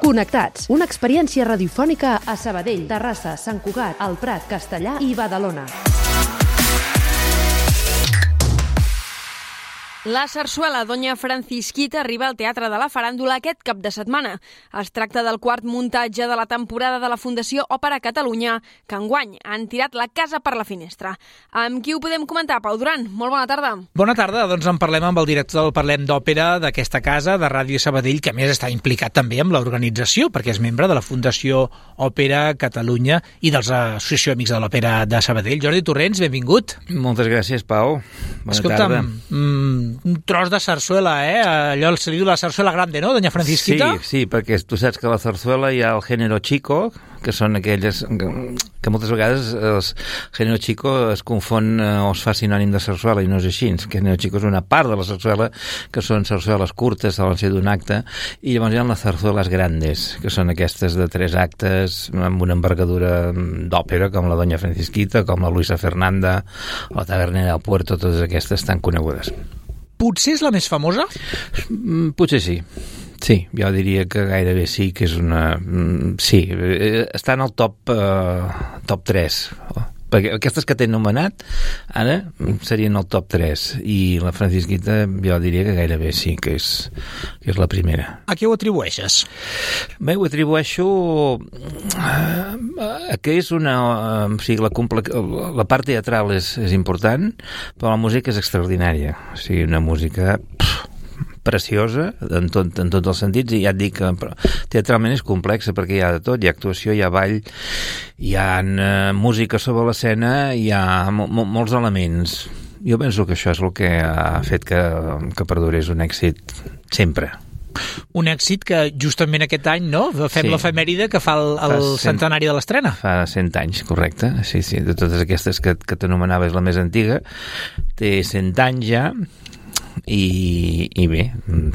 Connectats, una experiència radiofònica a Sabadell, Terrassa, Sant Cugat, El Prat, Castellar i Badalona. La sarsuela Doña Francisquita arriba al Teatre de la Faràndula aquest cap de setmana. Es tracta del quart muntatge de la temporada de la Fundació Òpera Catalunya, que enguany han tirat la casa per la finestra. Amb qui ho podem comentar? Pau Duran, molt bona tarda. Bona tarda, doncs en parlem amb el director del Parlem d'Òpera d'aquesta casa, de Ràdio Sabadell, que a més està implicat també amb l'organització, perquè és membre de la Fundació Òpera Catalunya i de l'Associació Amics de l'Òpera de Sabadell. Jordi Torrents, benvingut. Moltes gràcies, Pau. Bona tarda. Un tros de sarsuela, allò se li diu la sarsuela grande, no, Doña Francisquita? Sí, perquè tu saps que a la sarsuela hi ha el género chico, que són aquelles que moltes vegades el género chico es confon o es fa sinònim de sarsuela i no és així. El género chico és una part de la sarsuela, que són sarsueles curtes, solen ser d'un acte, i llavors hi ha les sarsueles grandes, que són aquestes de 3 actes amb una envergadura d'òpera, com la Doña Francisquita, com la Luisa Fernanda, o la Tavernera del Puerto, totes aquestes tan conegudes. Potser és la més famosa? Potser sí. Sí, jo diria que gairebé sí, que és una... Sí, està en el top 3. Perquè aquestes que t'he anomenat ara serien el top 3 i la Francisquita jo diria que gairebé sí, que és la primera. A què ho atribueixes? Bé, ho atribueixo a que és una... O sigui, la part teatral és important, però la música és extraordinària. O sigui, una música... preciosa en tots els sentits, i ja et dic que teatralment és complexa perquè hi ha de tot, hi ha actuació, hi ha ball, hi ha música sobre l'escena, hi ha molts elements. Jo penso que això és el que ha fet que perdurés un èxit sempre. Un èxit que justament aquest any, no? Fem l'efemèride que fa el centenari de l'estrena. Fa 100 anys, correcte. Sí, de totes aquestes que t'anomenava és la més antiga. Té 100 anys ja, i bé,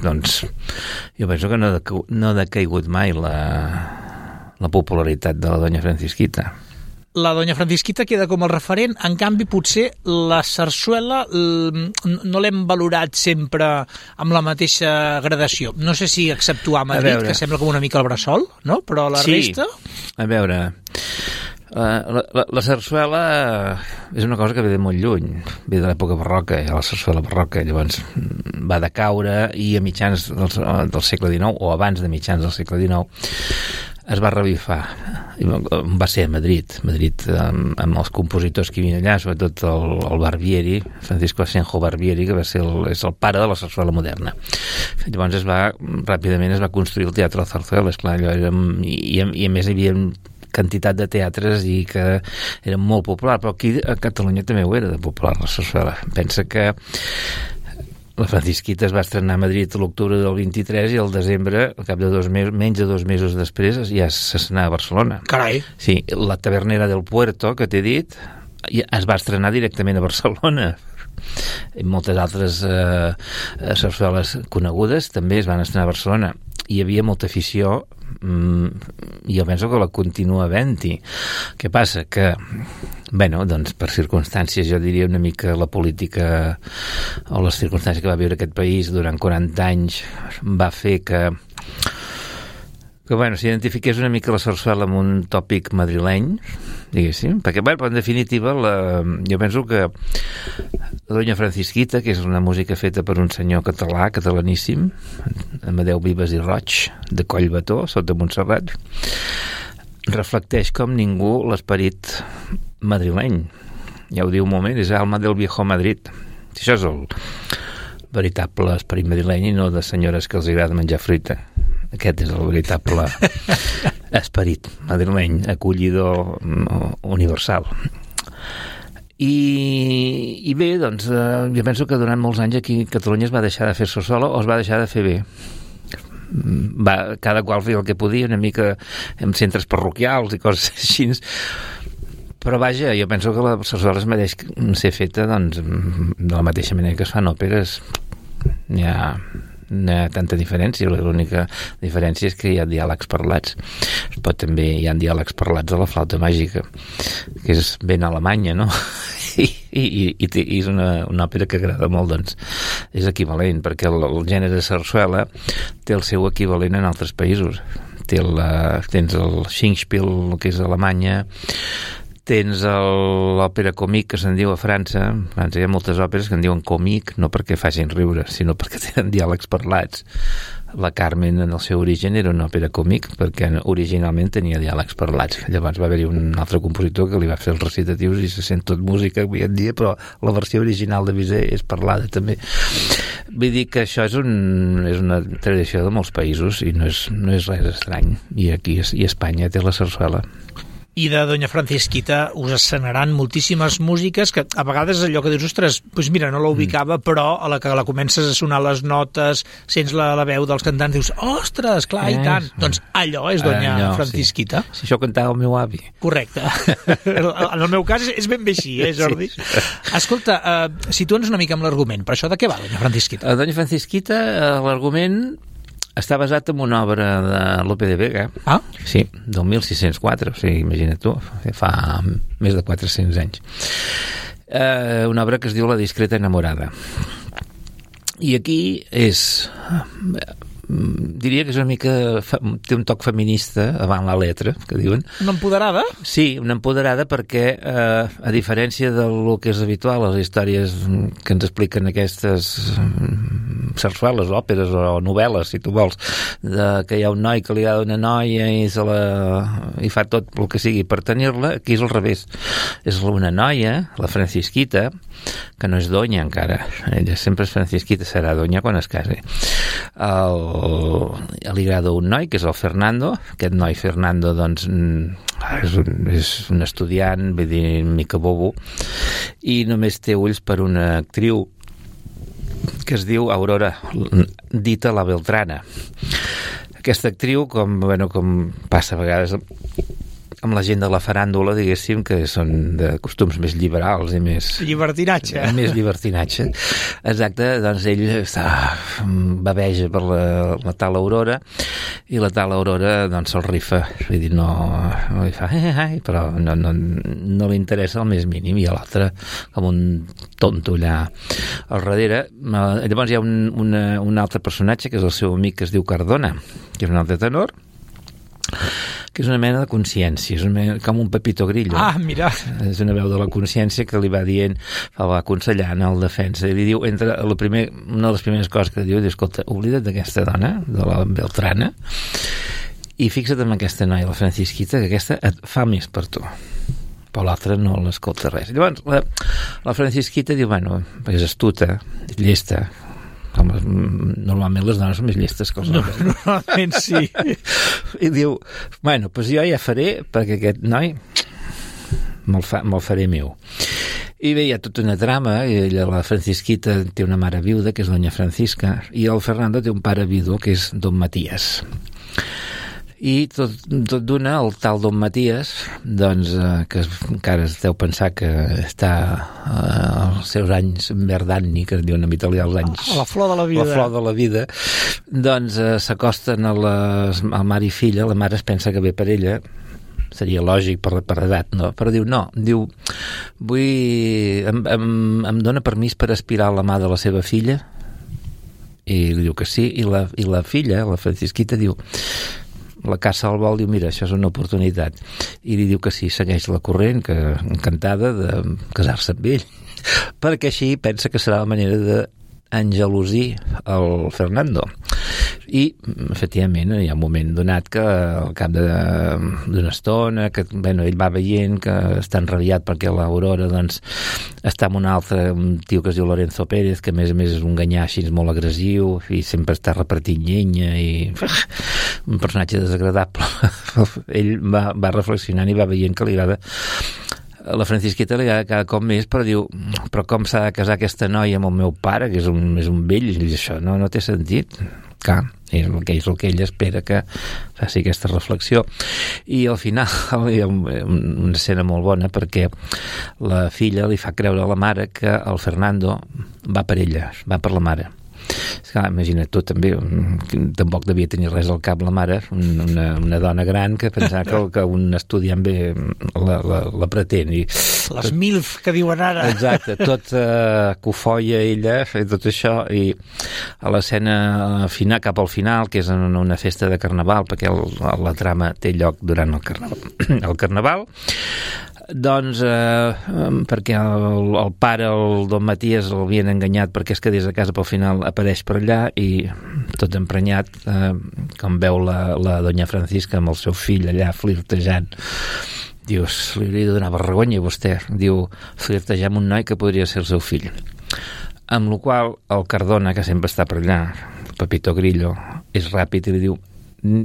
doncs jo penso que no ha decaigut mai la popularitat de la Doña Francisquita. La Doña Francisquita queda com el referent, en canvi potser la sarsuela no l'hem valorat sempre amb la mateixa gradació. No sé si exceptuar Madrid, que sembla com una mica el bressol, no? Però la resta... A veure... La sarsuela és una cosa que ve de molt lluny, ve de l'època barroca, la sarsuela barroca, llavors va decaure i a mitjans del segle XIX, o abans de mitjans del segle XIX, es va revifar. Va ser a Madrid amb els compositors que hi havia allà, sobretot el Barbieri, Francisco Asenjo Barbieri, que és el pare de la sarsuela moderna. Llavors ràpidament es va construir el Teatre de la Zarzuela, esclar, i a més hi havia quantitat de teatres i que era molt popular, però aquí a Catalunya també ho era de popular, la sarsuela. Pensa que la Francisquita es va estrenar a Madrid l'octubre del 23 i al desembre, al cap de menys de 2 mesos després, ja s'estrenava a Barcelona. Carai! Sí, la Tavernera del Puerto, que t'he dit, es va estrenar directament a Barcelona. I moltes altres sarsueles conegudes també es van estrenar a Barcelona. Hi havia molta afició, i jo penso que la continua havent-hi. Què passa? Que, doncs per circumstàncies, jo diria una mica la política o les circumstàncies que va viure aquest país durant 40 anys va fer que s'identifiqués una mica la sarsuela amb un tòpic madrileny, diguéssim, perquè, en definitiva, jo penso que la Doña Francisquita, que és una música feta per un senyor catalaníssim, Amadeu Vives i Roig, de Collbató, sota Montserrat, reflecteix com ningú l'esperit madrileny. Ja ho diu un moment, és alma del viejo Madrid. Això és el veritable esperit madrileny i no de senyores que els agrada menjar fruita. Aquest és el veritable esperit madrileny, acollidor universal. I bé, doncs, jo penso que durant molts anys aquí a Catalunya es va deixar de fer sarsuela o es va deixar de fer bé. Cada qual feia el que podia, una mica en centres parroquials i coses així. Però vaja, jo penso que la sarsuela es mereix ser feta de la mateixa manera que es fan òperes. N'hi ha tanta diferència, l'única diferència és que hi ha diàlegs parlats, però també hi ha diàlegs parlats a la flauta màgica, que és ben alemanya, no? I és una òpera que agrada molt, doncs és equivalent, perquè el gènere sarsuela té el seu equivalent en altres països. tens el Singspiel, que és a Alemanya, tens l'òpera còmic, que se'n diu a França. A França hi ha moltes òperes que en diuen còmic, no perquè facin riure, sinó perquè tenen diàlegs parlats. La Carmen, en el seu origen, era una òpera còmic, perquè originalment tenia diàlegs parlats. Llavors va haver-hi un altre compositor que li va fer els recitatius i se sent tot música avui en dia, però la versió original de Bizet és parlada també. Vull dir que això és una tradició de molts països i no és res estrany. I aquí i Espanya té la sarsuela. I de Doña Francisquita us escenaran moltíssimes músiques que a vegades allò que dius, ostres, doncs mira, no la ubicava, però a la que la comences a sonar les notes, sents la veu dels cantants, dius, ostres, clar, i tant. Doncs allò és Doña Francisquita. Sí. Si això cantava el meu avi. Correcte. En el meu cas és ben bé així, Jordi? Sí. Escolta, situa'ns una mica amb l'argument. Per això de què va Doña Francisquita? Doña Francisquita, l'argument està basat en una obra de Lope de Vega. Ah? Sí, del 1604, o sigui, imagina't tu, fa més de 400 anys. Una obra que es diu La discreta enamorada. I aquí diria que és una mica té un toc feminista avant la letra, que diuen. Una empoderada? Sí, una empoderada perquè a diferència del que és habitual, les històries que ens expliquen aquestes sarsueles, òperes o novel·les, si tu vols, que hi ha un noi que li agrada una noia i fa tot el que sigui per tenir-la, aquí és al revés. És una noia, la Francisquita, que no és doña encara, ella sempre és Francisquita, serà doña quan es casi. Li agrada un noi, que és el Fernando. Aquest noi Fernando, doncs, és un estudiant, vull dir, mica bobo, i només té ulls per una actriu que es diu Aurora, dita la Beltrana. Aquesta actriu, com passa a vegades amb la gent de la faràndula, diguéssim, que són de costums més liberals i més... Llibertinatge. Més llibertinatge. Exacte, doncs ell baveja per la tal Aurora i la tal Aurora doncs se'l rifa. Vull dir, no li fa però no li interessa el més mínim, i l'altre com un tonto allà al darrere. Llavors hi ha un altre personatge que és el seu amic, que es diu Cardona, que és un altre tenor, que és una mena de consciència, és com un Pepito Grillo. Ah, mira! És una veu de la consciència que li va dient, el va aconsellant al defensa, i li diu, una de les primeres coses que diu, escolta, oblida't d'aquesta dona, de la Beltrana, i fixa't en aquesta noia, la Francisquita, que aquesta et fa més per tu. Però l'altre no l'escolta res. Llavors, la Francisquita diu, és astuta, és llesta, normalment les dones són més llestes que els homes. Normalment sí. I diu, doncs jo ja faré perquè aquest noi me'l faré meu. I bé, hi ha tota una trama, i la Francisquita té una mare viuda, que és Doña Francisca, i el Fernando té un pare viudo, que és Don Matías. I tot d'una, el tal Don Matías, doncs, que encara es deu pensar que està als seus anys verdanni, que es diuen en italià els anys... A la flor de la vida. La flor de la vida. Doncs s'acosten al mare i filla, la mare es pensa que ve per ella, seria lògic per edat, no? Però diu, em dona permís per aspirar a la mà de la seva filla? I li diu que sí, i la filla, la Francisquita, diu... La caça al vol, diu, mira, això és una oportunitat. I li diu que sí, segueix la corrent, que encantada de casar-se amb ell. Perquè així pensa que serà la manera d'engelosir el Fernando. I, efectivament, hi ha un moment donat que al cap d'una estona, que ell va veient que està enrabiat perquè l'Aurora doncs, està amb un tio que es diu Lorenzo Pérez, que a més és un ganyà així molt agressiu i sempre està repartint llenya i un personatge desagradable. Ell va reflexionant i va veient que li agrada la Francisquita li agrada cada cop més, però diu, però com s'ha de casar aquesta noia amb el meu pare, que és un vell, i diu, això no té sentit. Clar, és el que ell espera que faci aquesta reflexió. I al final hi ha una escena molt bona, perquè la filla li fa creure a la mare que el Fernando va per ella, va per la mare. Esclar, imagina't tu també, tampoc devia tenir res al cap la mare, una dona gran que pensava que un estudiant bé la pretén. I les MILF que diuen ara. Exacte, tot cofoia ella, tot això, i a l'escena final, cap al final, que és en una festa de carnaval, perquè la trama té lloc durant el carnaval, doncs perquè el pare, el don Matías, l'havien enganyat perquè es quedés a casa, però al final apareix per allà i tot emprenyat, com veu la doña Francisca amb el seu fill allà flirtejant, dius, li hauria de donar vergonya a vostè, diu, flirtejar amb un noi que podria ser el seu fill. Amb la qual el Cardona, que sempre està per allà, Pepito Grillo, és ràpid i li diu,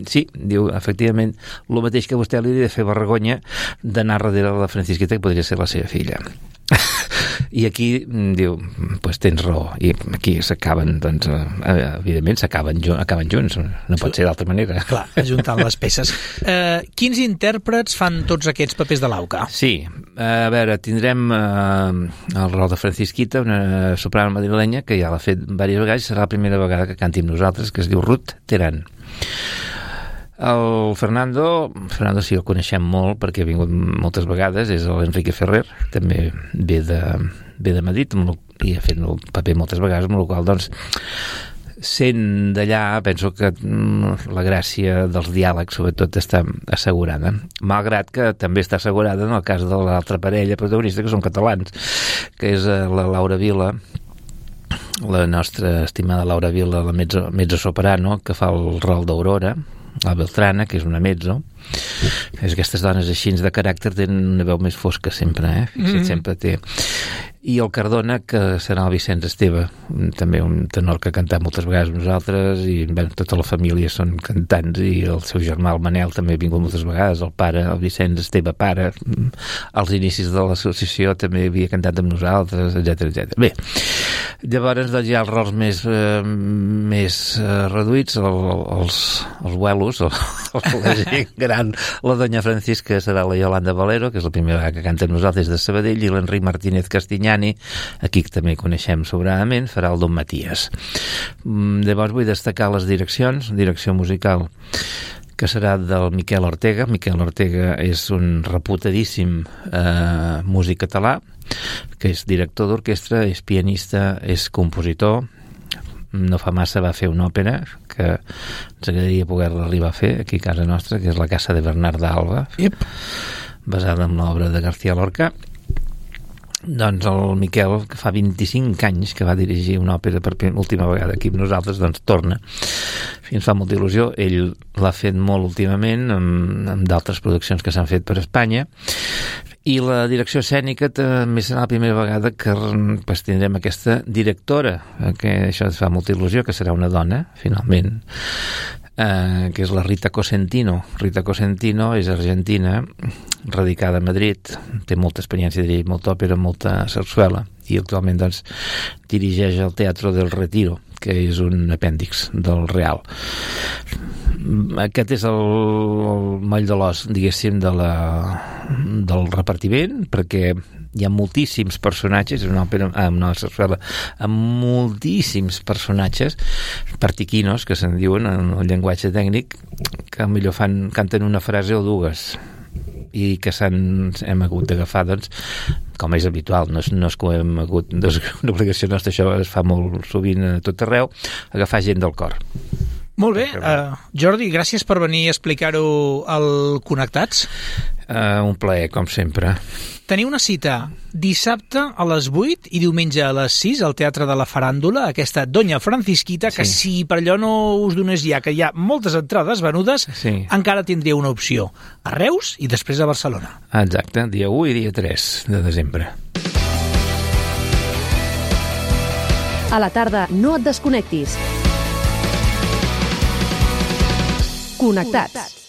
sí, diu, efectivament, el mateix que vostè li hauria de fer vergonya d'anar darrere de la Francisquita, que podria ser la seva filla. I aquí diu, pues tens raó, i aquí s'acaben, doncs, evidentment acaben junts, no pot ser d'altra manera. Clar, ajuntant les peces. Quins intèrprets fan tots aquests papers de l'Auca? Sí, a veure, tindrem el rol de Francisquita, una soprano madrilenya que ja l'ha fet diverses vegades, serà la primera vegada que canti amb nosaltres, que es diu Ruth Terán. El Fernando sí el coneixem molt perquè ha vingut moltes vegades, és l'Enrique Ferrer, també ve de Madrid i ha fet el paper moltes vegades, amb la qual doncs sent d'allà penso que la gràcia dels diàlegs sobretot està assegurada, malgrat que també està assegurada en el cas de l'altra parella protagonista, que són catalans, que és la Laura Vila, la nostra estimada Laura Vila, la mezzo-soprano, que fa el rol d'Aurora, la Beltrana, que és una mezzo. Aquestes dones així de caràcter tenen una veu més fosca sempre, sempre té. I el Cardona, que serà el Vicenç Esteve, també un tenor que ha cantat moltes vegades amb nosaltres, i bé, tota la família són cantants, i el seu germà, el Manel, també ha vingut moltes vegades, el pare, el Vicenç Esteve pare, als inicis de l'associació també havia cantat amb nosaltres, etc. Bé, llavors doncs, hi ha els rols més reduïts, els abuelos, la gent gran, la doña Francisca serà la Yolanda Valero, que és la primera vegada que canta amb nosaltres de Sabadell, i l'Enric Martínez Castinyani, aquí també coneixem sobradament, farà el don Matías. Llavors vull destacar les direccions, direcció musical que serà del Miquel Ortega. Miquel Ortega és un reputadíssim músic català, que és director d'orquestra, és pianista, és compositor. No fa massa va fer una òpera que ens agradaria poder-la arribar a fer aquí a casa nostra, que és la Casa de Bernard d'Alba, basada en l'obra de García Lorca. Doncs el Miquel, que fa 25 anys que va dirigir una òpera per última vegada aquí amb nosaltres, doncs torna. Ens fa molta il·lusió. Ell l'ha fet molt últimament amb d'altres produccions que s'han fet per Espanya. I la direcció escènica també serà la primera vegada que tindrem aquesta directora, que això ens fa molta il·lusió, que serà una dona, finalment, que és la Rita Cosentino. Rita Cosentino és argentina, radicada a Madrid, té molta experiència de dirigir molta òpera, molta sarsuela, i actualment doncs dirigeix el Teatro del Retiro, que és un apèndix del Real. Aquest és el moll de l'os, diguéssim, del repartiment, perquè hi ha moltíssims personatges, és una òpera, una sarsuela amb moltíssims personatges, partiquinos, que se'n diuen en el llenguatge tècnic, que millor canten una frase o dues, i que hem hagut d'agafar, doncs, com és habitual, no és que hem hagut, doncs, una obligació nostra, això es fa molt sovint a tot arreu, agafar gent del cor. Molt bé, Jordi, gràcies per venir a explicar-ho al Connectats. Un plaer, com sempre. Teniu una cita dissabte a les 8 i diumenge a les 6 al Teatre de la Faràndula, aquesta Doña Francisquita, que si per allò no us donés ja que hi ha moltes entrades venudes, encara tindria una opció a Reus i després a Barcelona. Exacte, dia 1 i dia 3 de desembre. A la tarda no et desconnectis. Connectats.